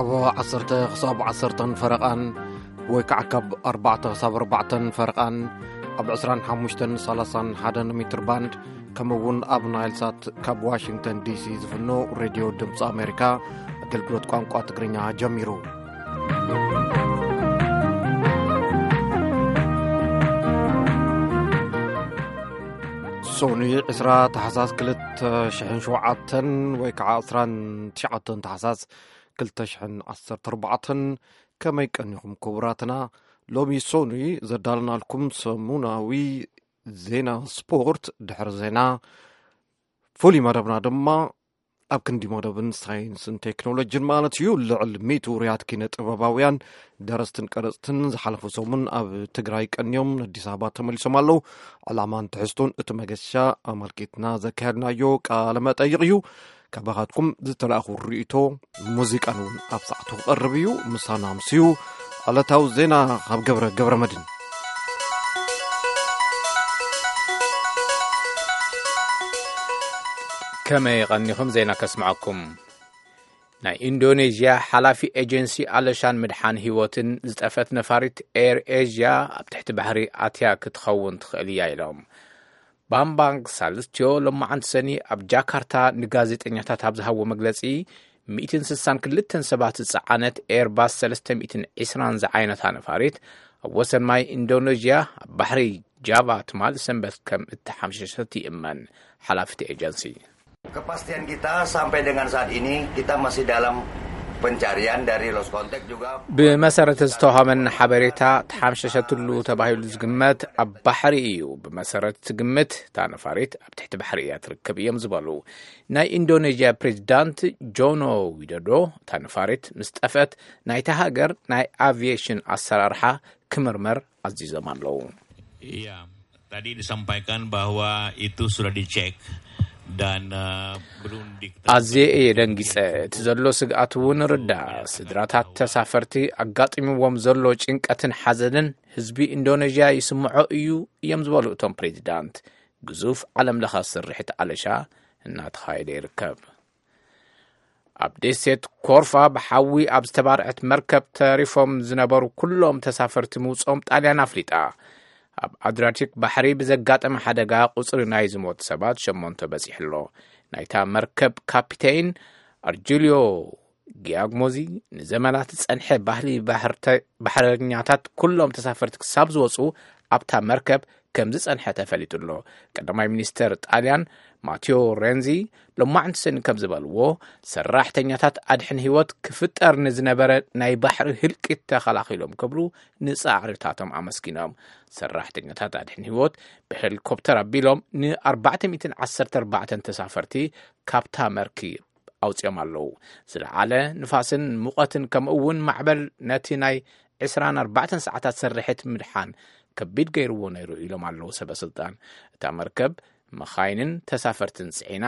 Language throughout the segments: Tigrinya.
ካብ ዓሰርተ ክሳብ ዓሰርተን ፈረቓን ወይ ከዓ ካብ ኣርባዕተ ክሳብ ኣርባዕተን ፈረቓን ኣብ ዕስራን ሓሙሽተን ሰላሳን ሓደን ሜትር ባንድ፣ ከምኡ እውን ኣብ ናይል ሳት ካብ ዋሽንግተን ዲሲ ዝፍኖ ሬድዮ ድምፂ ኣሜሪካ ኣገልግሎት ቋንቋ ትግርኛ ጀሚሩ። ሶኒ ዕስራ ታሕሳስ ክልተ ሽሕን ሸውዓተን ወይ ከዓ ዕስራን ትሽዓተን ታሕሳስ ክልተ ሽሕን ዓሰርተ ኣርባዕተን። ከመይ ቀኒኹም ክቡራትና? ሎሚ ሶኒ ዘዳለናልኩም ሰሙናዊ ዜና ስፖርት፣ ድሕሪ ዜና ፍሉይ መደብና ድማ ኣብ ክንዲ መደብን ሳይንስን ቴክኖሎጂን ማለት እዩ፣ ልዕሊ ሚእቲ ውሩያት ኪነ ጥበባውያን፣ ደረስትን ቀረጽትን ዝሓለፉ ሰሙን ኣብ ትግራይ ቀንዮም ንኣዲስ ኣበባ ተመሊሶም ኣለዉ። ዕላማን ትሕዝቶን እቲ መገሻ ኣመልኪትና ዘካየድናዮ ቃለ መጠይቕ እዩ። ካባኻትኩም ዝተላእኹ ርእይቶ ሙዚቃን እውን ኣብ ሰዓቱ ክቐርብ እዩ። ምሳና ምስዩ ዕለታዊ ዜና ካብ ገብረ ገብረ መድን። ከመይ ቀኒኹም? ዜና ከስምዐኩም። ናይ ኢንዶኔዥያ ሓላፊ ኤጀንሲ ኣለሻን ምድሓን ህይወትን ዝጠፈት ነፋሪት ኤር ኤዥያ ኣብ ትሕቲ ባሕሪ ኣትያ ክትኸውን ትኽእል እያ ኢሎም። ባምባንግ ሳልስቲዮ ሎማዓንቲ ሰኒ ኣብ ጃካርታ ንጋዜጠኛታት ኣብ ዝሃቦ መግለጺ፣ ሚእትን ስሳን ክልተን ሰባት ዝጸዓነት ኤርባስ ሰለስተ ሚእትን ዕስራን ዝዓይነታ ነፋሪት ኣብ ወሰን ማይ ኢንዶኔዥያ ኣብ ባሕሪ ጃቫ ትማል ሰንበት ከም እተሓምሸሸት ይእመን። ሓላፊ እቲ ኤጀንሲ። Kepastian kita sampai dengan saat ini, kita masih dalam pencarian dari lost contact juga. ብመሰረት ዝተዋሃበና ሓበሬታ ተሓምሸሸትሉ ተባሂሉ ዝግመት ኣብ ባሕሪ እዩ። ብመሰረት እቲ ግምት እታ ነፋሪት ኣብ ትሕቲ ባሕሪ እያ ትርከብ እዮም ዝበሉ ናይ ኢንዶኔዥያ ፕሬዚዳንት ጆኖ ዊዶዶ፣ እታ ነፋሪት ምስ ጠፍአት ናይታ ሃገር ናይ ኣቪዬሽን ኣሰራርሓ ክምርመር ኣዚዞም ኣለዉ። Iya, tadi disampaikan bahwa itu sudah dicek dan eh, belum diketahui. ኣዝየ እየ ደንጊጸ። እቲ ዘሎ ስግኣት እውን ርዳ። ስድራታት ተሳፈርቲ ኣጋጢምዎም ዘሎ ጭንቀትን ሓዘንን ህዝቢ ኢንዶኔዥያ ይስምዖ እዩ እዮም ዝበሉ እቶም ፕሬዚዳንት። ግዙፍ ዓለም ለኸ ስርሒት ኣለሻ እናተኻየደ ይርከብ። ኣብ ደሴት ኮርፋ ብሓዊ ኣብ ዝተባርዐት መርከብ ተሪፎም ዝነበሩ ኩሎም ተሳፈርቲ ምውፅኦም ጣልያን ኣፍሊጣ። ኣብ ኣድሪያቲክ ባሕሪ ብዘጋጠመ ሓደጋ ቁፅሪ ናይ ዝሞት ሰባት ሸሞንተ በፂሑ ኣሎ። ናይታ መርከብ ካፒቴን ኣርጁልዮ ጊያግሞዚ ንዘመናት ዝጸንሐ ባህሊ ባሕርተ-፣ ባሕረኛታት ኩሎም ተሳፈርቲ ክሳብ ዝወጹ ኣብታ መርከብ ከም ዝጸንሐ ተፈሊጡ ኣሎ። ቀዳማይ ሚኒስተር ጣልያን ማቴዎ ሬንዚ ሎማዕንቲ ሰኒ ከም ዝበልዎ፣ ሰራሕተኛታት ኣድሕን ህይወት ክፍጠር ንዝነበረ ናይ ባሕሪ ህልቂት ተኸላኺሎም ክብሉ ንጻዕርታቶም ኣመስጊኖም። ሰራሕተኛታት ኣድሕን ህይወት ብሄሊኮፕተር ኣቢሎም ን ኣርባዕተ ሚእትን ዓሰርተ ኣርባዕተን ተሳፈርቲ ካብታ መርኪ ኣውጺኦም ኣለዉ። ዝለዓለ ንፋስን ሙቐትን ከምኡ እውን ማዕበል ነቲ ናይ ዕስራን ኣርባዕተን ሰዓታት ስርሒት ምድሓን ከቢድ ገይርዎ ነይሩ ኢሎም ኣለዉ ሰበ ስልጣን። እታ መርከብ መኻይንን ተሳፈርትን ጽዒና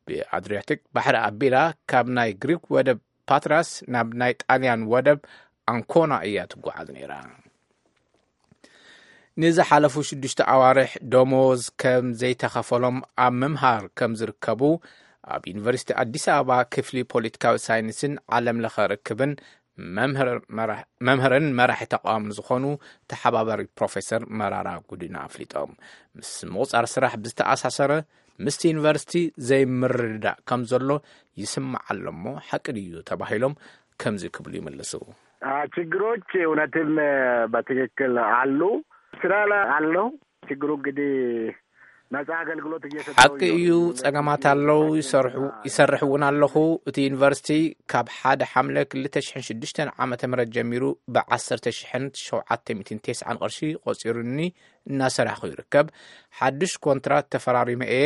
ብኣድሪያቲክ ባሕሪ ኣቢላ ካብ ናይ ግሪክ ወደብ ፓትራስ ናብ ናይ ጣልያን ወደብ ኣንኮና እያ ትጓዓዝ ነይራ። ንዝሓለፉ ሽዱሽተ ኣዋርሕ ደሞዝ ከም ዘይተኸፈሎም ኣብ ምምሃር ከም ዝርከቡ ኣብ ዩኒቨርሲቲ ኣዲስ ኣበባ ክፍሊ ፖለቲካዊ ሳይንስን ዓለም ለኸ ርክብን መምህር መራሕ-፣ መምህርን መራሒ ተቃዋምን ዝኾኑ ተሓባባሪ ፕሮፌሰር መራራ ጉዲና ኣፍሊጦም። ምስ ምቑጻር ስራሕ ብዝተኣሳሰረ ምስቲ ዩኒቨርሲቲ ዘይምርድዳእ ከም ዘሎ ይስማዕ ኣሎ እሞ ሓቂ ድዩ ተባሂሎም ከምዚ ክብሉ ይምልሱ። አ፣ ችግሮች እውነትም በትክክል አሉ። ስራ ላይ አለው። ችግሩ እንግዲህ ነፃ አገልግሎት እየሰጠው ሓቂ እዩ፣ ጸገማት ኣለዉ፣ ይሰርሑ፣ ይሰርሕ እውን ኣለኹ። እቲ ዩኒቨርሲቲ ካብ ሓደ ሓምለ ክልተ ሽሕን ሽዱሽተን ዓመተ ምህረት ጀሚሩ ብዓሰርተ ሽሕን ሸውዓተ ሚእትን ተስዓን ቅርሺ ቆጺሩኒ እናሰራሕኹ ይርከብ። ሓድሽ ኮንትራት ተፈራሪመ እየ።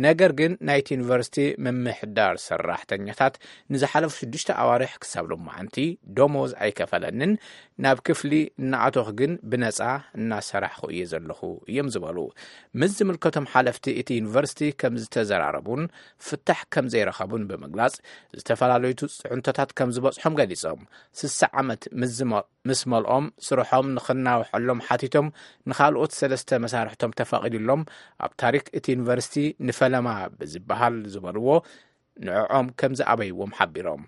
ነገር ግን ናይቲ ዩኒቨርሲቲ ምምሕዳር ሰራሕተኛታት ንዝሓለፉ ሽዱሽተ ኣዋርሕ ክሳብ ሎማዓንቲ ደሞዝ ኣይከፈለንን። ናብ ክፍሊ እናኣተኹ ግን ብነጻ እናሰራሕኹ እየ ዘለኹ እዮም ዝበሉ። ምስ ዝምልከቶም ሓለፍቲ እቲ ዩኒቨርሲቲ ከም ዝተዘራረቡን ፍታሕ ከም ዘይረኸቡን ብምግላጽ፣ ዝተፈላለዩ ጽዕንቶታት ከም ዝበጽሖም ገሊጾም። ስሳ ዓመት ምስ ዝመ-፣ ምስ መልኦም ስርሖም ንኽናውሐሎም ሓቲቶም ንኻልኦት ሰለስተ መሳርሕቶም ተፈቒዱሎም ኣብ ታሪክ እቲ ዩኒቨርሲቲ ንፈለማ ብዝበሃል ዝበልዎ ንዕኦም ከም ዝኣበይዎም ሓቢሮም።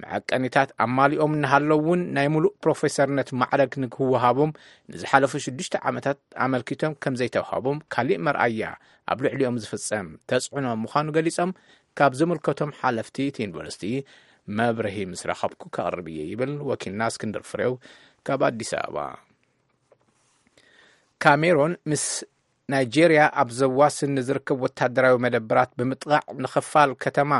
መዐቀኒታት ኣማሊኦም እናሃለዉ እውን ናይ ሙሉእ ፕሮፌሰርነት ማዕረግ ንክወሃቦም ንዝሓለፉ ሽዱሽተ ዓመታት ኣመልኪቶም ከም ዘይተዋሃቦም ካሊእ መርኣያ ኣብ ልዕሊኦም ዝፍጸም ተጽዕኖ ምዃኑ ገሊጾም፣ ካብ ዝምልከቶም ሓለፍቲ እቲ ዩኒቨርሲቲ መብርሂ ምስ ረኸብኩ ከቕርብ እየ ይብል ወኪልና እስክንድር ፍሬው ካብ ኣዲስ ኣበባ። ካሜሮን ምስ ናይጄርያ ኣብ ዘዋስን ንዝርከብ ወታደራዊ መደበራት ብምጥቓዕ ንኽፋል ከተማ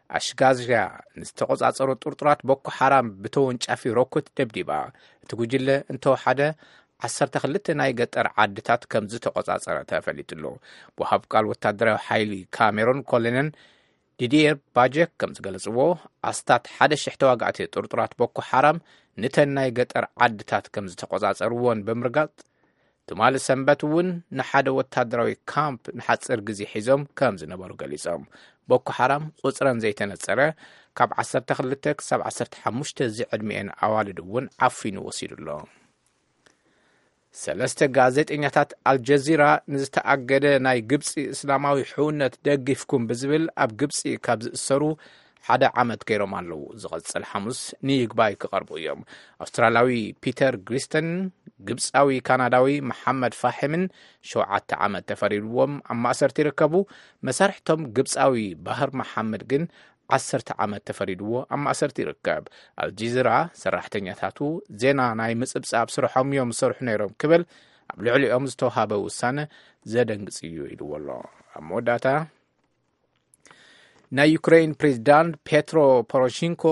ኣሽጋዝያ ንዝተቖጻጸሩ ጥርጡራት ቦኮ ሓራም ብተወንጫፊ ሮኮት ደብዲባ። እቲ ጉጅለ እንተወሓደ ዓሰርተ ክልተ ናይ ገጠር ዓድታት ከም ዝተቖጻጸረ ተፈሊጡ ኣሎ። ወሃብ ቃል ወታደራዊ ሓይሊ ካሜሮን ኮሎኔል ዲዲየር ባጀክ ከም ዝገለጽዎ፣ ኣስታት ሓደ ሽሕ ተዋጋእቲ ጥርጡራት ቦኮ ሓራም ንተን ናይ ገጠር ዓድታት ከም ዝተቖጻጸርዎን ብምርጋጽ፣ ትማሊ ሰንበት እውን ንሓደ ወታደራዊ ካምፕ ንሓጺር ግዜ ሒዞም ከም ዝነበሩ ገሊጾም። ቦኮ ሓራም ቁጽረን ዘይተነጸረ ካብ ዓሰርተ ክልተ ክሳብ ዓሰርተ ሓሙሽተ ዝዕድሚኤን ኣዋልድ እውን ዓፊኑ ወሲዱ ኣሎ። ሰለስተ ጋዜጠኛታት ኣልጀዚራ ንዝተኣገደ ናይ ግብጺ እስላማዊ ሕውነት ደጊፍኩም ብዝብል ኣብ ግብጺ ካብ ዝእሰሩ ሓደ ዓመት ገይሮም ኣለዉ። ዝቐጽል ሓሙስ ንይግባይ ክቐርቡ እዮም። ኣውስትራልያዊ ፒተር ግሪስተን፣ ግብጻዊ ካናዳዊ መሓመድ ፋሒምን ሸውዓተ ዓመት ተፈሪድዎም ኣብ ማእሰርቲ ይርከቡ። መሳርሕቶም ግብጻዊ ባህር መሓመድ ግን ዓሰርተ ዓመት ተፈሪድዎ ኣብ ማእሰርቲ ይርከብ። ኣልጀዚራ ሰራሕተኛታቱ ዜና ናይ ምጽብጻብ ስርሖም እዮም ዝሰርሑ ነይሮም ክብል ኣብ ልዕሊኦም ዝተውሃበ ውሳነ ዘደንግጽ እዩ ኢልዎ ኣሎ። ኣብ መወዳእታ ናይ ዩክሬን ፕሬዚዳንት ፔትሮ ፖሮሽንኮ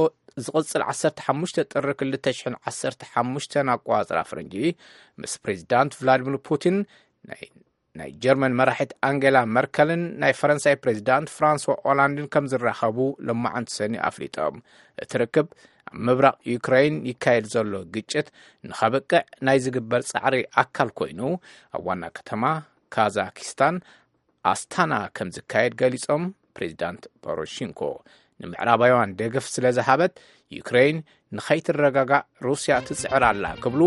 ዝቕጽል ዓሰርተ ሓሙሽተ ጥሪ ክልተ ሽሕን ዓሰርተ ሓሙሽተን ኣቆጻጽራ ፈረንጂ ምስ ፕሬዚዳንት ቭላዲሚር ፑቲን ናይ ናይ ጀርመን መራሒት ኣንጌላ መርከልን ናይ ፈረንሳይ ፕሬዚዳንት ፍራንስዋ ኦላንድን ከም ዝራኸቡ ሎማዓንቲ ሰኒ ኣፍሊጦም። እቲ ርክብ ኣብ ምብራቕ ዩክሬን ይካየድ ዘሎ ግጭት ንኸብቅዕ ናይ ዝግበር ጻዕሪ ኣካል ኮይኑ፣ ኣብ ዋና ከተማ ካዛኪስታን ኣስታና ከም ዝካየድ ገሊጾም። ፕሬዚዳንት ፖሮሺንኮ ንምዕራባውያን ደገፍ ስለ ዝሃበት፣ ዩክሬን ንኸይትረጋጋእ ሩስያ ትጽዕር ኣላ ክብሉ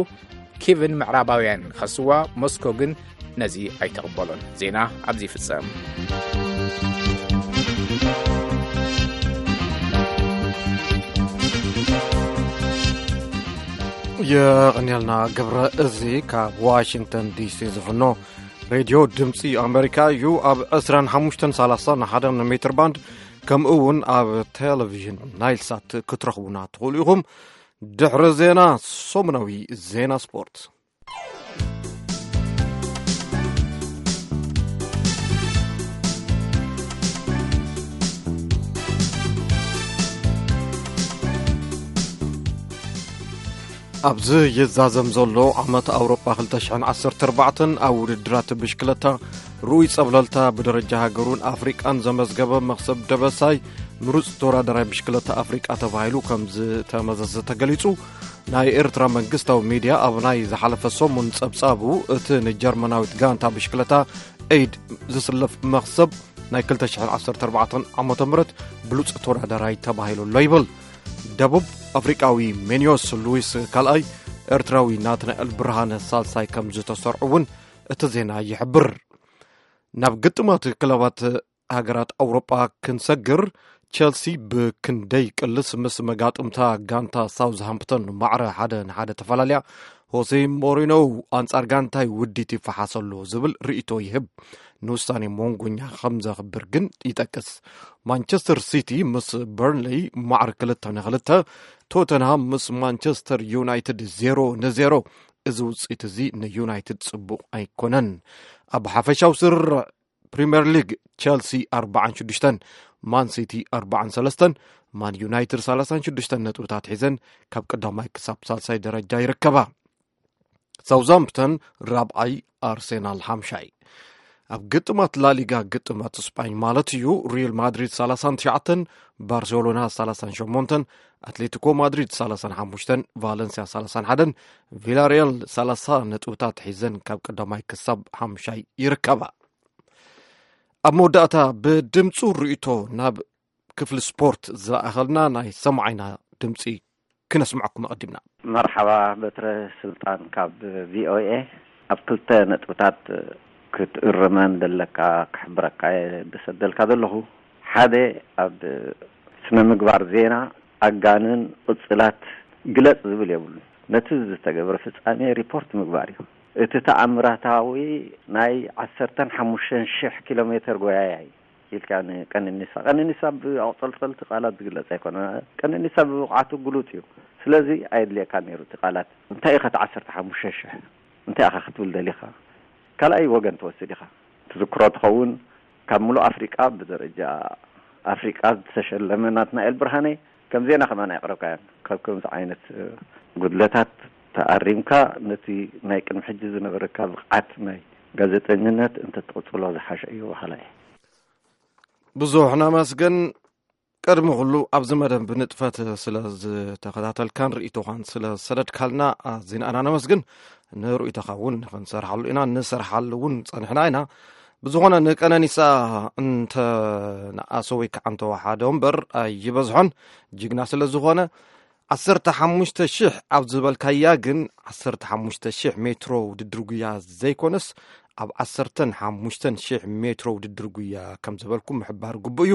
ኪቭን ምዕራባውያን ይኸስዋ፣ ሞስኮ ግን ነዚ ኣይተቕበሎን። ዜና ኣብዚ ይፍጸም። የቐንየልና ገብረ። እዚ ካብ ዋሽንግተን ዲሲ ዝፍኖ ሬድዮ ድምፂ ኣሜሪካ እዩ። ኣብ ዕስራን ሓሙሽተን ሰላሳን ሓደ ሜትር ባንድ፣ ከምኡ እውን ኣብ ቴሌቪዥን ናይል ሳት ክትረኽቡና ትኽእሉ ኢኹም። ድሕሪ ዜና፣ ሰሙናዊ ዜና ስፖርት። ኣብዚ ይዛዘም ዘሎ ዓመት ኣውሮጳ ክልተ ሽሕን ዓሰርተ ኣርባዕተን ኣብ ውድድራት ብሽክለታ ርኡይ ጸብለልታ ብደረጃ ሃገሩን ኣፍሪቃን ዘመዝገበ መኽሰብ ደበሳይ ምሩጽ ተወዳዳራይ ብሽክለታ ኣፍሪቃ ተባሂሉ ከም ዝተመዘዘ ተገሊጹ። ናይ ኤርትራ መንግስታዊ ሚድያ ኣብ ናይ ዝሓለፈ ሰሙን ጸብጻቡ፣ እቲ ንጀርመናዊት ጋንታ ብሽክለታ ኤይድ ዝስለፍ መኽሰብ ናይ ክልተ ሽሕን ዓሰርተ ኣርባዕተን ዓመተ ምህረት ብሉጽ ተወዳዳራይ ተባሂሉ ኣሎ ይብል። ደቡብ ኣፍሪቃዊ ሜንዮስ ሉዊስ ካልኣይ፣ ኤርትራዊ ናትናኤል ብርሃነ ሳልሳይ ከም ዝተሰርዑ እውን እቲ ዜና ይሕብር። ናብ ግጥማት ክለባት ሃገራት ኣውሮጳ ክንሰግር፣ ቸልሲ ብክንደይ ቅልስ ምስ መጋጥምታ ጋንታ ሳውዝሃምፕተን ማዕረ ሓደ ንሓደ ተፈላለያ። ሆሴ ሞሪኖ ኣንጻር ጋንታይ ውዲት ይፈሓስ ኣሎ ዝብል ርእይቶ ይህብ። ንውሳኔ ሞንጎኛ ከም ዘኽብር ግን ይጠቅስ። ማንቸስተር ሲቲ ምስ በርንሌይ ማዕረ ክልተ ንኽልተ፣ ቶተንሃም ምስ ማንቸስተር ዩናይትድ ዜሮ ንዜሮ። እዚ ውጽኢት እዚ ንዩናይትድ ጽቡቕ ኣይኮነን። ኣብ ሓፈሻዊ ስርርዕ ፕሪምየር ሊግ፣ ቸልሲ ኣርባዓን ሽዱሽተን፣ ማን ሲቲ ኣርባዓን ሰለስተን፣ ማን ዩናይትድ ሰላሳን ሽዱሽተን ነጥብታት ሒዘን ካብ ቀዳማይ ክሳብ ሳልሳይ ደረጃ ይርከባ። ሳውዛምፕተን ራብዓይ፣ ኣርሴናል ሓምሻይ። ኣብ ግጥማት ላሊጋ፣ ግጥማት ስጳኝ ማለት እዩ፣ ሪል ማድሪድ ሰላሳን ትሽዓተን፣ ባርሴሎና ሰላሳን ሸሞንተን፣ ኣትሌቲኮ ማድሪድ ሰላሳን ሓሙሽተን፣ ቫለንሲያ ሰላሳን ሓደን፣ ቪላሪያል ሰላሳ ነጥብታት ሒዘን ካብ ቀዳማይ ክሳብ ሓምሻይ ይርከባ። ኣብ መወዳእታ ብድምፁ ርእይቶ ናብ ክፍሊ ስፖርት ዝለኣኸልና ናይ ሰማዓይና ድምፂ ክነስምዐኩም ኣቐዲምና። መርሓባ በትረ ስልጣን ካብ ቪኦኤ። ኣብ ክልተ ነጥብታት ክትእርመን ዘለካ ክሕብረካ እየ ዝሰደልካ ዘለኹ። ሓደ፣ ኣብ ስነ ምግባር ዜና ኣጋንን ቅጽላት ግለጽ ዝብል የብሉን። ነቲ ዝተገብረ ፍጻሜ ሪፖርት ምግባር እዩ። እቲ ተኣምራታዊ ናይ ዓሰርተን ሓሙሽተን ሽሕ ኪሎ ሜተር ጎያያይ ኢልካ ንቀነኒሳ፣ ቀነኒሳ ብኣቑጸልጸልቲ ቃላት ዝግለጽ ኣይኮነ። ቀነኒሳ ብብቕዓቱ ግሉጽ እዩ። ስለዚ ኣየድልየካ ነይሩ እቲ ቃላት። እንታይ ኢኻ እቲ ዓሰርተ ሓሙሽተ ሽሕ? እንታይ ኢኻ ክትብል ደሊኻ? ካልኣይ ወገን ትወስድ ኢኻ። ትዝክሮ ትኸውን፣ ካብ ምሉእ ኣፍሪቃ ብደረጃ ኣፍሪቃ ዝተሸለመ ናትናኤል ብርሃነ ከም ዜና ከማን ኣየቕረብካዮን። ካብ ከምዚ ዓይነት፣ እ፣ ጉድለታት ተኣሪምካ ነቲ ናይ ቅድሚ ሕጂ ዝነበረካ ብቕዓት ናይ ጋዜጠኝነት እንተትቕጽሎ ዝሓሸ እዩ በሃላይ። ብዙሕ ነመስግን። ቅድሚ ኩሉ ኣብዚ መደብ ብንጥፈት ስለ ዝተኸታተልካን ርእይቶኻን ስለ ዝሰደድካልና ኣዚና ኢና ነመስግን። ንርእይቶኻ እውን ክንሰርሓሉ ኢና፣ ንሰርሓሉ እውን ጸኒሕና ኢና። ብዝኾነ ንቀነኒሳ እንተ ንኣሰ ወይ ከዓ እንተ ወሓደ እምበር ኣይበዝሖን፣ ጅግና ስለ ዝኾነ። ዓሰርተ ሓሙሽተ ሽሕ ኣብ ዝበልካያ ግን ዓሰርተ ሓሙሽተ ሽሕ ሜትሮ ውድድር ጉያ ዘይኮነስ ኣብ ዓሰርተን ሓሙሽተን ሽሕ ሜትሮ ውድድር ጉያ ከም ዝበልኩ ምሕባር ግቡእ እዩ።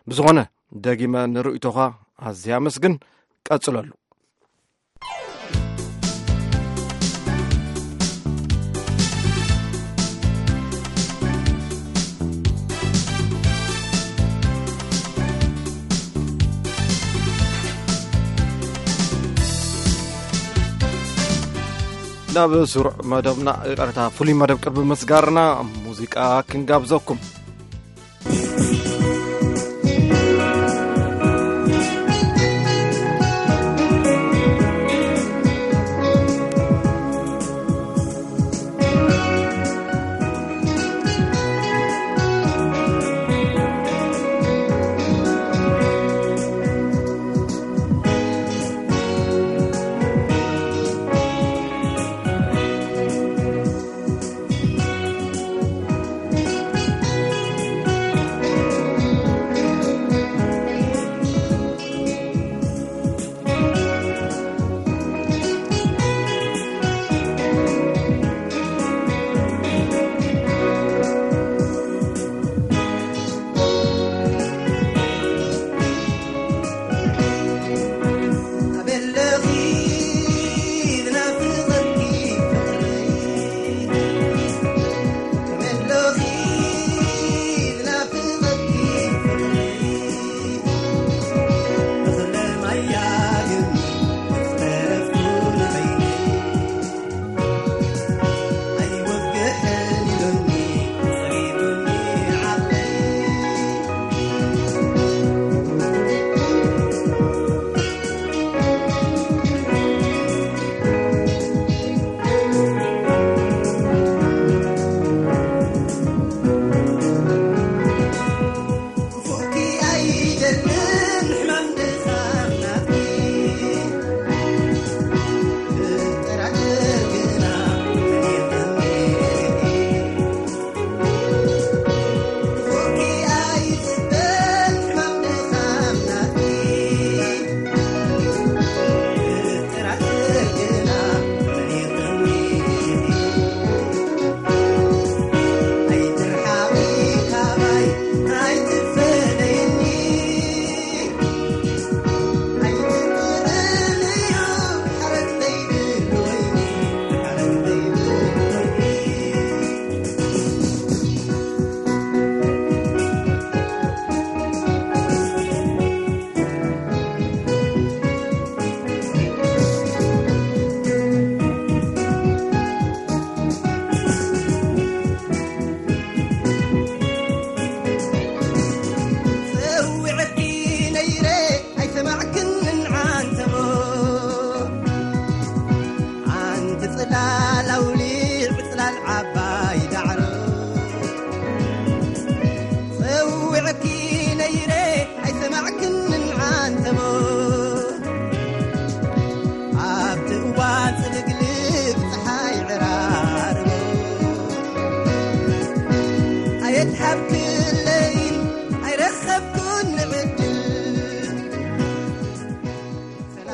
ብዝኾነ ደጊመ ንርእይቶኻ ኣዝየ ኣመስግን። ቀጽለሉ። ናብ ስሩዕ መደብና፣ ይቕረታ፣ ፍሉይ መደብ ቅርቢ ምስጋርና ሙዚቃ ክንጋብዘኩም።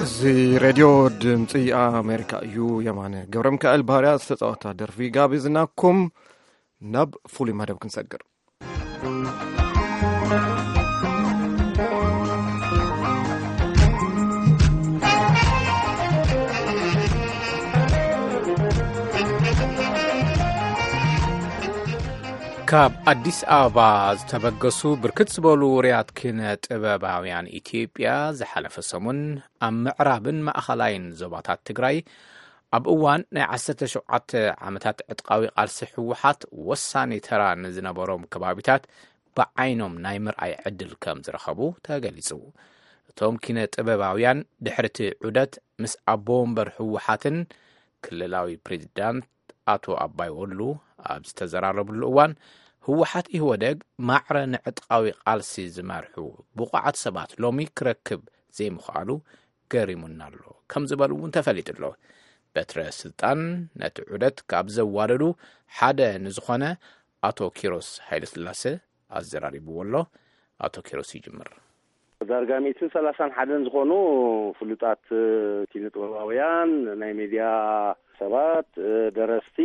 እዚ ሬድዮ ድምፂ ኣሜሪካ እዩ። የማነ ገብረ ሚካኤል ባህርያ ዝተፃወታ ደርፊ ጋቢዝናኩም ናብ ፍሉይ መደብ ክንሰግር። ካብ ኣዲስ ኣበባ ዝተበገሱ ብርክት ዝበሉ ውሩያት ኪነ ጥበባውያን ኢትዮጵያ ዝሓለፈ ሰሙን ኣብ ምዕራብን ማእኸላይን ዞባታት ትግራይ ኣብ እዋን ናይ ዓሰርተ ሸውዓተ ዓመታት ዕጥቃዊ ቃልሲ ህወሓት ወሳኒ ተራ ንዝነበሮም ከባቢታት ብዓይኖም ናይ ምርኣይ ዕድል ከም ዝረኸቡ ተገሊጹ። እቶም ኪነ ጥበባውያን ድሕሪ እቲ ዑደት ምስ ኣቦ ወንበር ህወሓትን ክልላዊ ፕሬዚዳንት ኣቶ ኣባይ ወሉ ኣብ ዝተዘራረብሉ እዋን፣ ህወሓት ኢህወደግ ማዕረ ንዕጥቃዊ ቃልሲ ዝመርሑ ብቑዓት ሰባት ሎሚ ክረክብ ዘይምኽኣሉ ገሪሙና ኣሎ ከም ዝበሉ እውን ተፈሊጡ ኣሎ። በትረ ስልጣን ነቲ ዑደት ካብ ዘዋደዱ ሓደ ንዝኾነ ኣቶ ኪሮስ ሃይለስላሴ ኣዘራሪብዎ ኣሎ። ኣቶ ኪሮስ ይጅምር። ዳርጋ ሚእትን ሰላሳን ሓደን ዝኾኑ ፍሉጣት ኪነ ጥበባውያን፣ ናይ ሜድያ ሰባት፣ ደረስቲ፣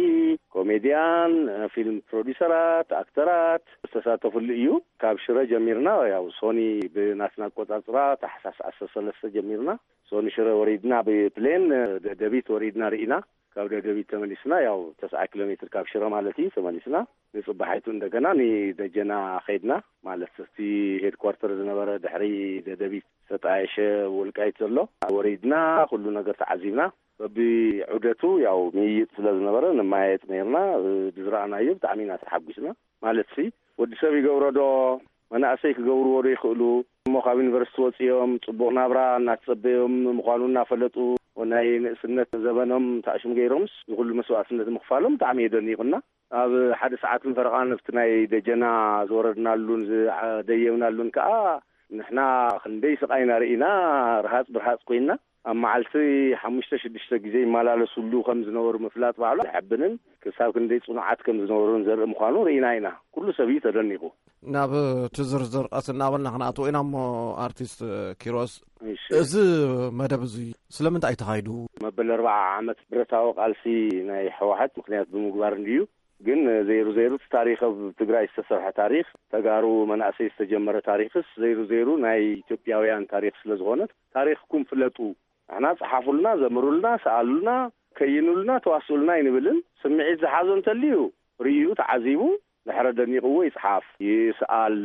ኮሜድያን፣ ፊልም ፕሮዲሰራት፣ ኣክተራት ዝተሳተፉሉ እዩ። ካብ ሽረ ጀሚርና፣ ያው ሶኒ ብናትና ኣቆጻጽራ ታሕሳስ ዓሰርተ ሰለስተ ጀሚርና ሶኒ ሽረ ወሪድና ብፕሌን ደደቢት ወሪድና ርኢና። ካብ ደደቢት ተመሊስና፣ ያው ተስዓ ኪሎ ሜትር ካብ ሽረ ማለት እዩ፣ ተመሊስና ንጽባሒቱ እንደገና ንደጀና ኸይድና። ማለት እቲ ሄድኳርተር ዝነበረ ድሕሪ ደደቢት ዝተጣየሸ ወልቃይት ዘሎ ወሪድና፣ ኩሉ ነገር ተዓዚብና። በቢ ዑደቱ ያው ምይይጥ ስለ ዝነበረ ንመያየጥ ነይርና። ብዝረኣናዮ ብጣዕሚ ኢና ተሓጒስና። ማለት ሲ ወዲ ሰብ ይገብሮ ዶ፣ መናእሰይ ክገብርዎ ዶ ይኽእሉ? እሞ ካብ ዩኒቨርሲቲ ወፂኦም ፅቡቕ ናብራ እናተፀበዮም ምዃኑ እናፈለጡ፣ ናይ ንእስነት ዘበኖም ታእሽም ገይሮምስ ዝኹሉ መስዋእትነት ምኽፋሎም ብጣዕሚ የደኒቑና። ኣብ ሓደ ሰዓትን ፈረቓን ኣብቲ ናይ ደጀና ዝወረድናሉን ዝደየብናሉን ከዓ ንሕና ክንደይ ስቓይና ርኢና፣ ርሃፅ ብርሃፅ ኮይና። ኣብ መዓልቲ ሓሙሽተ ሽዱሽተ ግዜ ይመላለሱሉ ከም ዝነበሩ ምፍላጥ ባዕሉ ዘሐብንን ክሳብ ክንደይ ጽኑዓት ከም ዝነበሩን ዘርኢ ምዃኑ ርኢና ኢና። ኩሉ ሰብ እዩ ተደኒቑ። ናብ እቲ ዝርዝር ቀስ እናበልና ክንኣትዎ ኢና እሞ፣ ኣርቲስት ኪሮስ፣ እሺ። እዚ መደብ እዚ ስለምንታይ እዩ ተኻይዱ? መበል ኣርባዓ ዓመት ብረታዊ ቃልሲ ናይ ህወሓት ምኽንያት ብምግባር እንድዩ። ግን ዘይሩ ዘይሩ እቲ ታሪኽ ኣብ ትግራይ ዝተሰርሐ ታሪኽ፣ ተጋሩ መናእሰይ ዝተጀመረ ታሪኽስ ዘይሩ ዘይሩ ናይ ኢትዮጵያውያን ታሪኽ ስለ ዝኾነ ታሪኽኩም ፍለጡ። ንሕና ጸሓፉልና፣ ዘምሩልና፣ ሰኣሉልና፣ ከይኑልና፣ ተዋስኡልና ኣይንብልን። ስምዒት ዝሓዞ እንተልዩ ርእዩ ተዓዚቡ ድሕረ ደኒቕዎ ይጽሓፍ፣ ይስኣል፣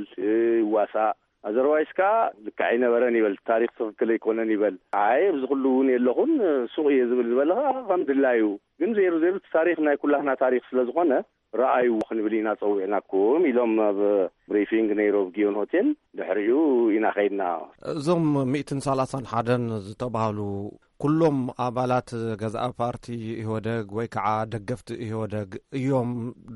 ይዋሳእ። ኣዘርዋይስ ከኣ ልክዕ ኣይነበረን ይበል፣ ታሪኽ ትኽክል ኣይኮነን ይበል። ኣይ ኣብዚ ኩሉ እውን የለኹን፣ ሱቕ እየ ዝብል ዝበለ ከኣ ከም ድላዩ። ግን ዘይሩ ዘይሩ እቲ ታሪኽ ናይ ኩላህና ታሪኽ ስለ ዝኾነ ረኣዩ ክንብል ኢና ጸዊዕናኩም ኢሎም ኣብ ብሪፊንግ ነይሩ ኣብ ጊዮን ሆቴል። ድሕሪኡ ኢና ኸይድና። እዞም ሚእትን ሰላሳን ሓደን ዝተባህሉ ኩሎም ኣባላት ገዛኢ ፓርቲ ኢህወደግ ወይ ከዓ ደገፍቲ ኢህወደግ እዮም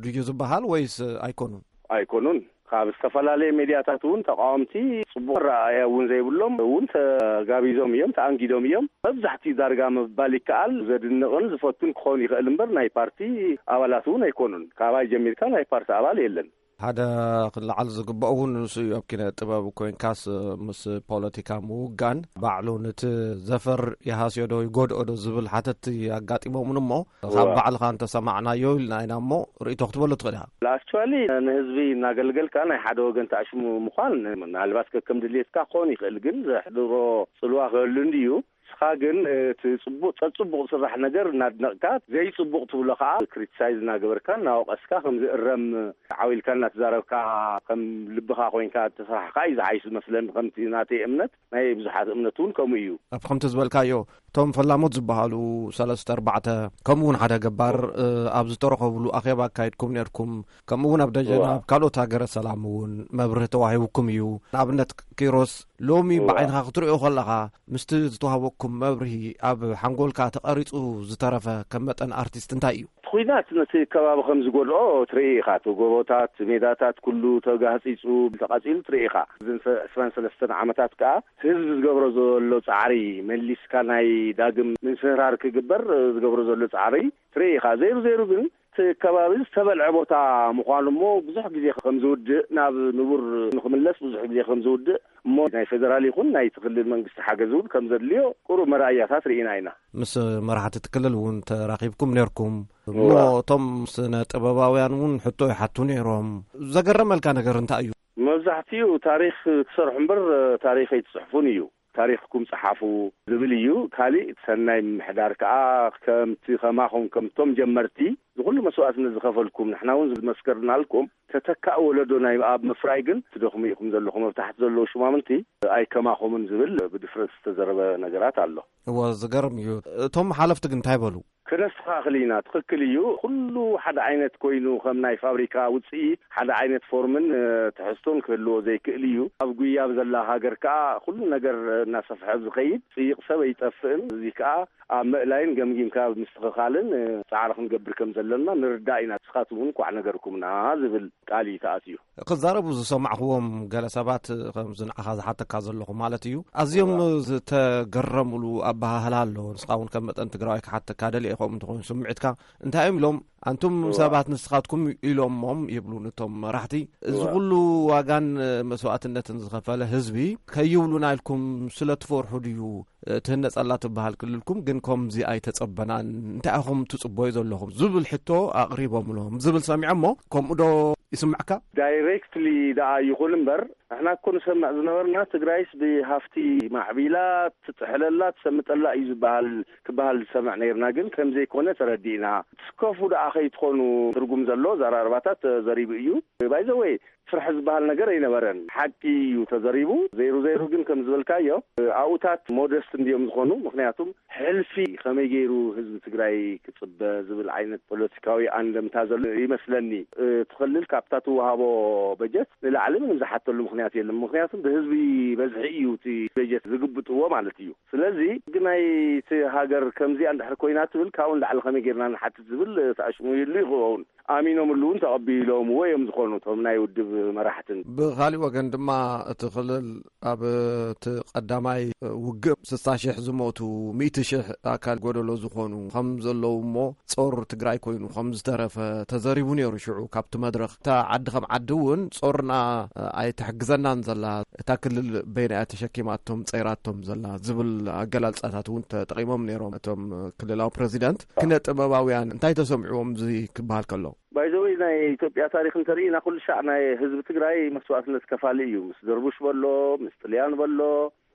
ድዩ ዝበሃል ወይስ ኣይኮኑን? ኣይኮኑን። ካብ ዝተፈላለየ ሜድያታት እውን ተቃወምቲ ጽቡቕ ረኣያ እውን ዘይብሎም እውን ተጋቢዞም እዮም፣ ተኣንጊዶም እዮም። መብዛሕትኡ ዳርጋ ምባል ይከኣል ዘድንቕን ዝፈቱን ክኸውን ይኽእል እምበር ናይ ፓርቲ ኣባላት እውን ኣይኮኑን። ካባይ ጀሚርካ ናይ ፓርቲ ኣባል የለን። ሓደ ክለዓል ዝግበኦ እውን ንሱ እዩ። ኣብ ኪነ ጥበብ ኮይንካስ ምስ ፖለቲካ ምውጋን ባዕሉ ነቲ ዘፈር ይሃስዮ ዶ ይጎድኦ ዶ ዝብል ሓተትቲ ኣጋጢሞምን እሞ፣ ካብ እዋ። ባዕልኻ እንተሰማዕናዮ ኢልና ኢና እሞ ርእይቶ ክትበሉ ትኽእል ኢኻ። ኣክቹዋሊ ንህዝቢ እናገልገልካ ናይ ሓደ ወገን ተኣሽሙ ምዃን ምናልባት ከከም ድሌትካ ክኸውን ይኽእል፣ ግን ዘሕድሮ ጽልዋ ክህሉ እንድዩ። ንስኻ ግን እቲ ጽቡቕ ጸጽቡቕ ዝስራሕ ነገር እናድነቕካ፣ ዘይጽቡቕ ትብሎ ከኣ ክሪቲሳይዝ እናገበርካ እናወቐስካ ከም ዝእረም ዓው ኢልካ እናተዛረብካ ከም ልብኻ ኮይንካ ተሰራሕካ እዩ ዝሓይሽ ዝመስለኒ። ከምቲ ናተይ እምነት ናይ ብዙሓት እምነት እውን ከምኡ እዩ። ኣብ ከምቲ ዝበልካዮ እቶም ፈላሞት ዝበሃሉ ሰለስተ ኣርባዕተ ከምኡ እውን ሓደ ገባር እ፣ ኣብ ዝተረኸብሉ ኣኼባ ኣካይድኩም ነርኩም። ከምኡ እውን ኣብ ደጀና እዋ። ኣብ ካልኦት ሃገረ ሰላም እውን መብርሂ ተዋሂብኩም እዩ። ንኣብነት ኪሮስ ሎሚ እዋ። ብዓይንኻ ክትሪኦ ከለኻ ምስቲ ዝተዋህበኩም መብርሂ ኣብ ሓንጎልካ ተቐሪጹ ዝተረፈ ከም መጠን ኣርቲስት እንታይ እዩ? እቲ ኲናት ነቲ ከባቢ ከም ዝጎድኦ ትርኢ ኢኻ። እቲ ጎቦታት፣ ሜዳታት ኩሉ ተጋህጺጹ፣ ተቓጺሉ ትርኢ ኢኻ። እዘን ሰ-፣ ዕስራን ሰለስተን ዓመታት ከኣ ህዝቢ ዝገብሮ ዘሎ ጻዕሪ መሊስካ ናይ ዳግም ምንስህራር ክግበር ዝገብሮ ዘሎ ጻዕሪ ትርኢ ኢኻ። ዘይሩ ዘይሩ ግን እቲ ከባቢ ዝተበልዐ ቦታ ምዃኑ እሞ ብዙሕ ግዜ ከም ዝውድእ፣ ናብ ንቡር ንኽምለስ ብዙሕ ግዜ ከም ዝውድእ እሞ ናይ ፌደራል ይኹን ናይቲ ክልል መንግስቲ ሓገዝ እውን ከም ዘድልዮ ቁሩብ መርኣያታት ርኢና ኢና። ምስ መራሕቲ እቲ ክልል እውን ተራኺብኩም ነርኩም። እሞ እዋ። እቶም ስነ ጥበባውያን እውን ሕቶ ይሓቱ ነይሮም። ዘገረመልካ ነገር እንታይ እዩ? መብዛሕትኡ ታሪኽ ትሰርሑ እምበር ታሪኽ ኣይትጽሕፉን እዩ። ታሪኽኩም ጸሓፉ ዝብል እዩ። ካሊእ ሰናይ ምምሕዳር ከኣ ከምቲ ከማኹም ከምቶም ጀመርቲ ዝኹሉ መስዋእትነት ዝኸፈልኩም ንሕና እውን ዝመስከርናልኩም ተተካእ ወለዶ ናይ ኣብ ምፍራይ ግን ትደኽሙ ኢኹም ዘለኹም። ኣብ ታሕቲ ዘለዉ ሹማምንቲ ኣይከማኹምን ዝብል ብድፍረት ዝተዘረበ ነገራት ኣሎ። እዎ ዝገርም እዩ። እቶም ሓለፍቲ ግን እንታይ በሉ? ከነስተኻኽል ኢና። ትኽክል እዩ። ኩሉ ሓደ ዓይነት ኮይኑ ከም ናይ ፋብሪካ ውፅኢት ሓደ ዓይነት ፎርምን ትሕዝቶን ክህልዎ ዘይክእል እዩ። ኣብ ጉያ ኣብ ዘላ ሃገር ከዓ ኩሉ ነገር እናሰፍሐ ዝኸይድ ፅይቕ ሰብ ኣይጠፍእን። እዚ ከዓ ኣብ ምእላይን ገምጊምካ ምስትኽኻልን ፃዕሪ ክንገብር ከም ዘለና ንርዳእ ኢና። ንስኻትኩም እውን ኳዕ ነገርኩምና ዝብል ቃል እዩ ተኣትዩ። ክዛረቡ ዝሰማዕኽዎም ገለ ሰባት ከምዚ ንዓኻ ዝሓተካ ዘለኹ ማለት እዩ ኣዝዮም ዝተገረሙሉ ኣበሃህላ ኣሎ። ንስኻ እውን ከም መጠን ትግራዋይ ክሓተካ ደልየ ከምኡ እንተኾይኑ ስምዒትካ እንታይ እዮም ኢሎም ኣንቱም ሰባት ንስኻትኩም ኢሎሞም ይብሉ ነቶም መራሕቲ። እዚ ኩሉ ዋጋን መስዋእትነትን ዝኸፈለ ህዝቢ ከይብሉና ኢልኩም ስለ ትፈርሑ ድዩ ትህነጸላ ትበሃል ክልልኩም ግን ከምዚ ኣይተጸበናን እንታይ ኢኹም ትጽበዩ ዘለኹም ዝብል ሕቶ ኣቕሪቦምሎም ዝብል ሰሚዐ እሞ ከምኡ ዶ ይስምዕካ? ዳይሬክትሊ ደኣ ይኹን እምበር ንሕና እኮ ንሰምዕ ዝነበርና ትግራይስ ብሃፍቲ ማዕቢላ ትጥሕለላ ትሰምጠላ እዩ ዝበሃል ክበሃል ዝሰምዕ ነይርና ግን ከምዘይኮነ ተረዲእና። ትስከፉ ደኣ ከይትኾኑ ትርጉም ዘሎ ዘራርባታት ተዘሪቡ እዩ። ባይዘወይ ፍርሒ ዝበሃል ነገር ኣይነበረን። ሓቂ እዩ ተዘሪቡ። ዘይሩ ዘይሩ ግን ከም ዝበልካዮ ኣብኡታት ሞደስት እንዲዮም ዝኾኑ። ምክንያቱም ሕልፊ ከመይ ገይሩ ህዝቢ ትግራይ ክፅበ ዝብል ዓይነት ፖለቲካዊ ኣንደምታ ዘሎ ይመስለኒ። እቲ ክልል ካብታ ትወሃቦ በጀት ንላዕሊ ምንም ዝሓተሉ ምክንያት የለን። ምክንያቱም ብህዝቢ በዝሒ እዩ እቲ በጀት ዝግብጥዎ ማለት እዩ። ስለዚ ግናይ እቲ ሃገር ከምዚኣ እንድሕር ኮይና ትብል ካብኡ ንላዕሊ ከመይ ገይርና ንሓትት ዝብል ተኣሽሙ ይሉ ይኸውን። ኣሚኖምሉ እውን ተቐቢሎምዎ እዮም ዝኾኑ እቶም ናይ ውድብ መራሕትን። ብኻሊእ ወገን ድማ እቲ ክልል ኣብ እቲ ቀዳማይ ውግእ ስሳ ሽሕ ዝሞቱ ሚእቲ ሽሕ ኣካል ጎደሎ ዝኾኑ ከም ዘለዉ እሞ ጾር ትግራይ ኮይኑ ከም ዝተረፈ ተዘሪቡ ነይሩ። ሽዑ ካብቲ መድረኽ እታ ዓዲ ከም ዓዲ እውን ጾርና ኣይትሕግዘናን ዘላ እታ ክልል በይና እያ ተሸኪማቶም ጸይራቶም ዘላ ዝብል ኣገላልጻታት እውን ተጠቒሞም ነይሮም እቶም ክልላዊ ፕረዚደንት። ክነ ጥበባውያን እንታይ ተሰምዕዎም እዚ ክበሃል ከሎ? ባይዘወይ ናይ ኢትዮጵያ ታሪክ እንተርኢና ኩሉ ሻዕ ናይ ህዝቢ ትግራይ መስዋእትነት ከፋሊ እዩ። ምስ ደርቡሽ በሎ፣ ምስ ጥልያን በሎ፣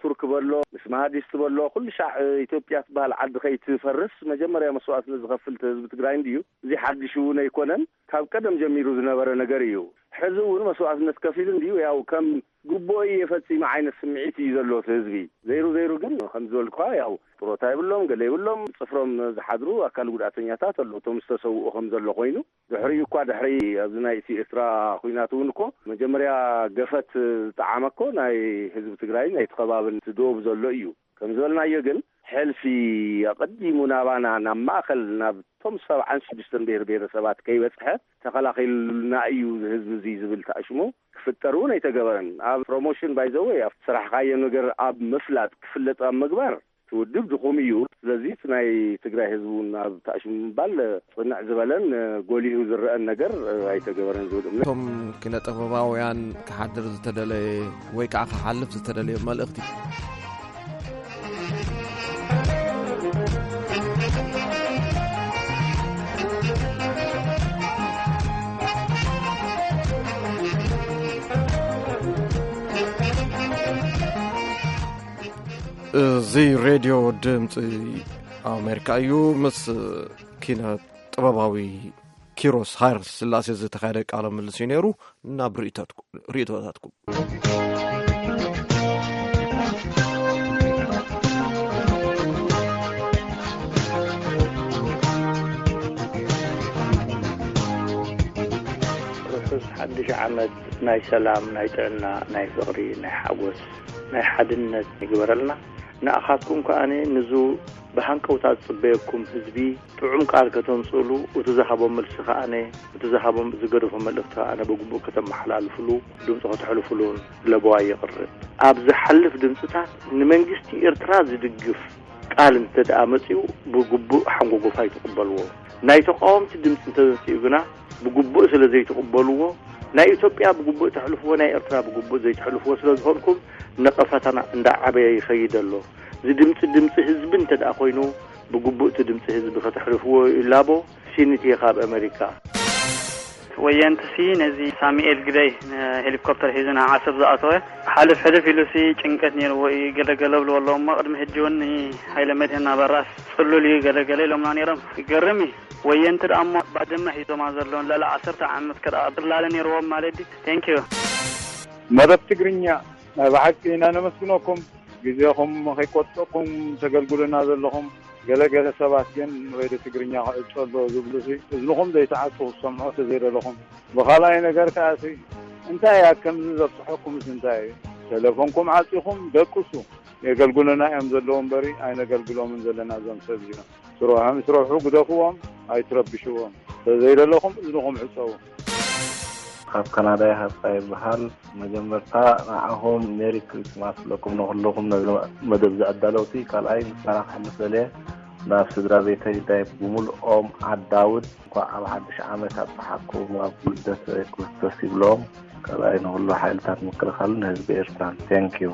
ቱርክ በሎ፣ ምስ ማሃዲስት በሎ ኩሉ ሻዕ ኢትዮጵያ ትበሃል ዓዲ ከይትፈርስ መጀመርያ መስዋእትነት ዝኸፍል ህዝቢ ትግራይ እንድዩ። እዚ ሓድሽ እውን ኣይኮነን፣ ካብ ቀደም ጀሚሩ ዝነበረ ነገር እዩ። ሕዚ እውን መስዋእትነት ከፊሉ እንድዩ። ያው ከም ግቡኦ እየ ፈጺመ ዓይነት ስምዒት እዩ ዘሎ እቲ ህዝቢ። ዘይሩ ዘይሩ ግን ከም ዝበልኳ ያው ጥሮታ ይብሎም፣ ገለ ይብሎም፣ ጽፍሮም ዝሓድሩ ኣካል ጉድኣተኛታት ኣለዉ። እቶም ዝተሰውኡ ከም ዘሎ ኮይኑ ድሕሪኡ እኳ ድሕሪ ኣብዚ ናይ እቲ ኤርትራ ኩናት እውን እኮ መጀመርያ ገፈት ዝጠዓመ እኮ ናይ ህዝቢ ትግራይ ናይቲ ከባብን እቲ ዶብ ዘሎ እዩ። ከም ዝበልናዮ ግን ሕልፊ ኣቐዲሙ ናባና ናብ ማእኸል ናብቶም ሰብዓን ሽዱሽተን ብሄር ብሄረሰባት ከይበፅሐ ተኸላኺሉልና እዩ ህዝቢ እዚ ዝብል ተኣሽሙ ክፍጠር እውን ኣይተገበረን። ኣብ ፕሮሞሽን ባይዘወይ ኣብ ስራሕካዮ ነገር ኣብ ምፍላጥ ክፍለጥ ኣብ ምግባር እቲ ውድብ ድኹም እዩ። ስለዚ እቲ ናይ ትግራይ ህዝቢ እውን ኣብ ተኣሽሙ ምባል ፅንዕ ዝበለን ጎሊሁ ዝረአን ነገር ኣይተገበረን ዝብል እምነት። እቶም ኪነ ጥበባውያን ክሓድር ዝተደለየ ወይ ከዓ ክሓልፍ ዝተደለየ መልእኽቲ? እዚ ሬድዮ ድምፂ ኣሜሪካ እዩ። ምስ ኪነ ጥበባዊ ኪሮስ ሃይለ ስላሴ ዝተኻየደ ቃለ ምልልስ እዩ ነይሩ። ናብ ርእይቶታትኩም። ርሑስ ሓድሽ ዓመት ናይ ሰላም፣ ናይ ጥዕና፣ ናይ ፍቕሪ፣ ናይ ሓጎስ፣ ናይ ሓድነት ይግበረልና። ንኣኻትኩም ከኣ ንዙ ብሃንቀውታ ዝጽበየኩም ህዝቢ ጥዑም ቃል ከተምጽእሉ፣ እቲ ዝሃቦ መልሲ ከኣ፣ እቲ ዝሃቦ ዝገደፎ መልእኽቲ ከኣ ብግቡእ ከተመሓላልፍሉ፣ ድምጺ ከተሕልፉሉን ለበዋ የቕርብ። ኣብ ዝሓልፍ ድምጽታት ንመንግስቲ ኤርትራ ዝድግፍ ቃል እንተ ደኣ መጺኡ ብግቡእ ሓንጎጎፋይ ትቕበልዎ። ናይ ተቓወምቲ ድምጺ እንተ መጺኡ ግና ብግቡእ ስለ ዘይትቕበልዎ፣ ናይ ኢትዮጵያ ብግቡእ ተሕልፍዎ፣ ናይ ኤርትራ ብግቡእ ዘይትሕልፍዎ ስለ ዝኾንኩም ነቐፈታና እንዳዓበየ ይኸይድ ኣሎ። እዚ ድምጺ ድምጺ ህዝቢ እንተ ደኣ ኮይኑ ብግቡእ እቲ ድምጺ ህዝቢ ከተሕልፍዎ ይላቦ። ሲኒትየ ካብ ኣመሪካ። ወየንትሲ ነዚ ሳሙኤል ግደይ ንሄሊኮፕተር ሒዙ ናብ ዓሰብ ዝኣተወ ሓልፍ ሕልፍ ኢሉሲ ጭንቀት ነይርዎ እዩ። ገለገለ ብልዎ ኣለዎ እሞ ቅድሚ ሕጂ እውን ንሃይለ መድህን ኣበራስ ጽሉል እዩ ገለገለ ኢሎምና ነይሮም። ይገርም እዩ። ወየንቲ ደኣ እሞ ባድመ ሒዞማ ዘለውን ልዕሊ ዓሰርተ ዓመት ከደኣ ጽላለ ነይርዎም ማለት ድዩ? ቴንኪዩ። መደብ ትግርኛ ናይ ብሓቂ ኢና ነመስግነኩም። ግዜኹም ከይቆጠብኩም ተገልግሉና ዘለኹም። ገለ ገለ ሰባት ግን ሬድዮ ትግርኛ ክዕጾ ኣሎ ዝብሉ ሲ እዝንኹም ዘይትዓጹ ክትሰምዑ ተዘይደለኹም። ብኻልኣይ ነገር ከኣ ሲ እንታይ እያ ከምዚ ዘብጽሐኩምስ እንታይ እዩ? ቴሌፎንኩም ዓጺኹም ደቅሱ። የገልግሉና እዮም ዘለዉ እምበሪ ኣይነገልግሎምን ዘለና እዞም ሰብ እዚኦም። ስርሖም ይስረሑ ግደፍዎም ኣይትረብሽዎም። ተዘይደለኹም እዝንኹም ዕጸዉ። ካብ ካናዳ ይሃብካ ይበሃል። መጀመርታ ንዓኹም ሜሪ ክሪስማስ ኣለኩም ንኹልኹም ነዚ መደብ ዝኣዳለውቲ። ካልኣይ ምስጋና ክሕልፍ ደልየ ናብ ስድራ ቤተይ ዳይ ብምልኦም ዓዳውድ እንኳዕ ኣብ ሓድሽ ዓመት ኣብጽሓኩም ኣብ ልደት ክርስቶስ ይብሎም። ካልኣይ ንኹሉ ሓይልታት ምክልኻልን ህዝቢ ኤርትራን። ቴንኪዩ።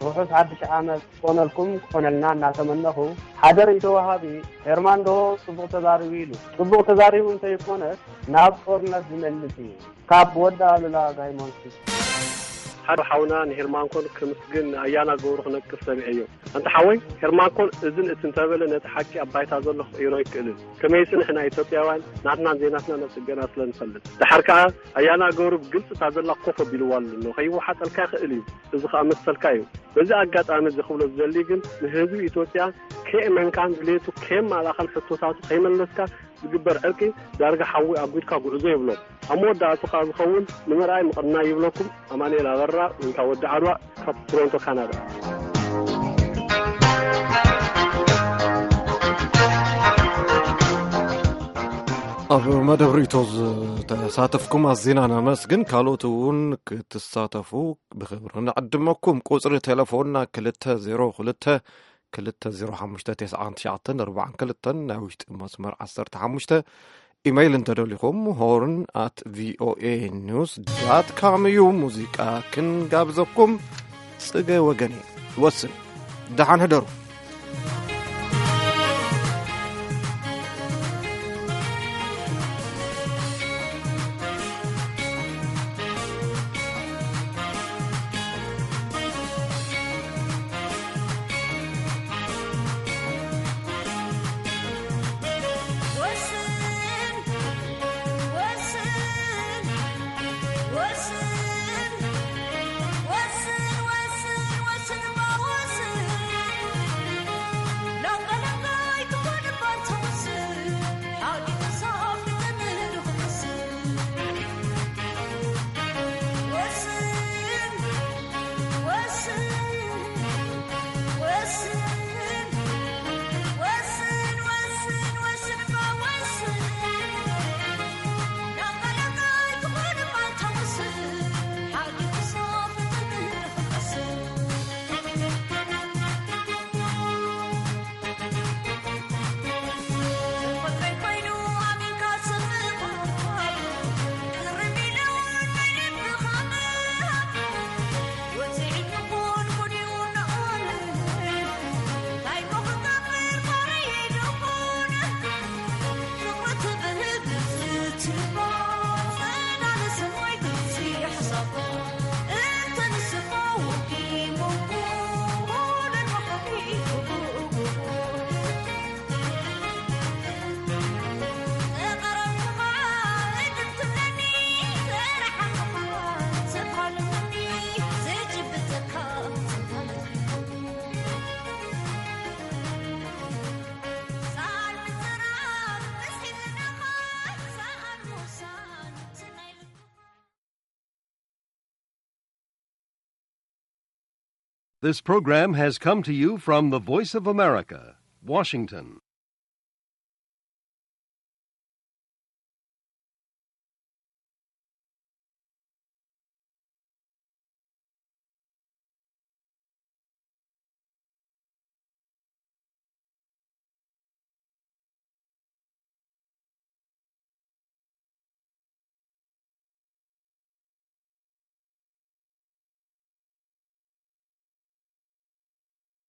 ርሑስ ሓድሽ ዓመት ክኾነልኩም ክኾነልና እናተመነኹ፣ ሓደ ርእይቶ ወሃቢ፣ ሄርማን ዶ ጽቡቕ ተዛሪቡ ኢሉ። ጽቡቕ ተዛሪቡ እንተይኮነስ ናብ ጦርነት ዝመልስ እዩ። ካብ ወዲ ኣሉላ ጋይሞንኪ። ሓደ ሓውና ንሄርማንኮን ክምስግን ንኣያና ገብሩ ክነቅፍ ሰሚዐዮ። ኣንታ ሓወይ፣ ሄርማንኮን እዝን እቲ እንተበለ ነቲ ሓቂ ኣብ ባይታ ዘሎ ክቕይሮ ኣይክእልን። ከመይሲ ንሕና ኢትዮጵያውያን ናትናን ዘይናትናን ኣጽገና ስለ ንፈልጥ። ደሓር ከኣ ኣያና ገብሩ ብግልጺ እታ ዘላ ኮፍ ኣቢልዋ ኣሎ። ከይወሓጠልካ ይኽእል እዩ። እዚ ከኣ መሰልካ እዩ። በዚ ኣጋጣሚ እዚ ክብሎ ዝደሊ ግን ንህዝቢ ኢትዮጵያ ከየእመንካን ድሌቱ ከየማላእካን ሕቶታቱ ከይመለስካ ዝግበር ዕርቂ ዳርጋ ሓዊ ኣጒድካ ጉዕዞ ይብሎ። ኣብ መወዳእቱ ከኣ ዝኸውን ንምርኣይ ምቕናይ ይብለኩም። ኣማኑኤል ኣበራ ወይ ከዓ ወዲ ዓድዋ ካብ ቶሮንቶ ካናዳ። ኣብ መደብ ርእቶ ዝተሳተፍኩም ኣዚና ነመስግን። ካልኦት እውን ክትሳተፉ ብኽብሪ ንዕድመኩም። ቁፅሪ ቴሌፎንና ክልተ ዜሮ ክልተ ክልተ ዜሮ ሓሙሽተ ተስዓን ትሽዓተን ኣርባዓን ክልተን፣ ናይ ውሽጢ መስመር ዓሰርተ ሓሙሽተ። ኢመይል እንተደሊኹም ሆርን ኣት ቪኦኤ ኒውስ ዳት ካም እዩ። ሙዚቃ ክንጋብዘኩም። ጽገ ወገኔ ወስን። ደሓን ሕደሩ። This program has come to you from the Voice of America, Washington.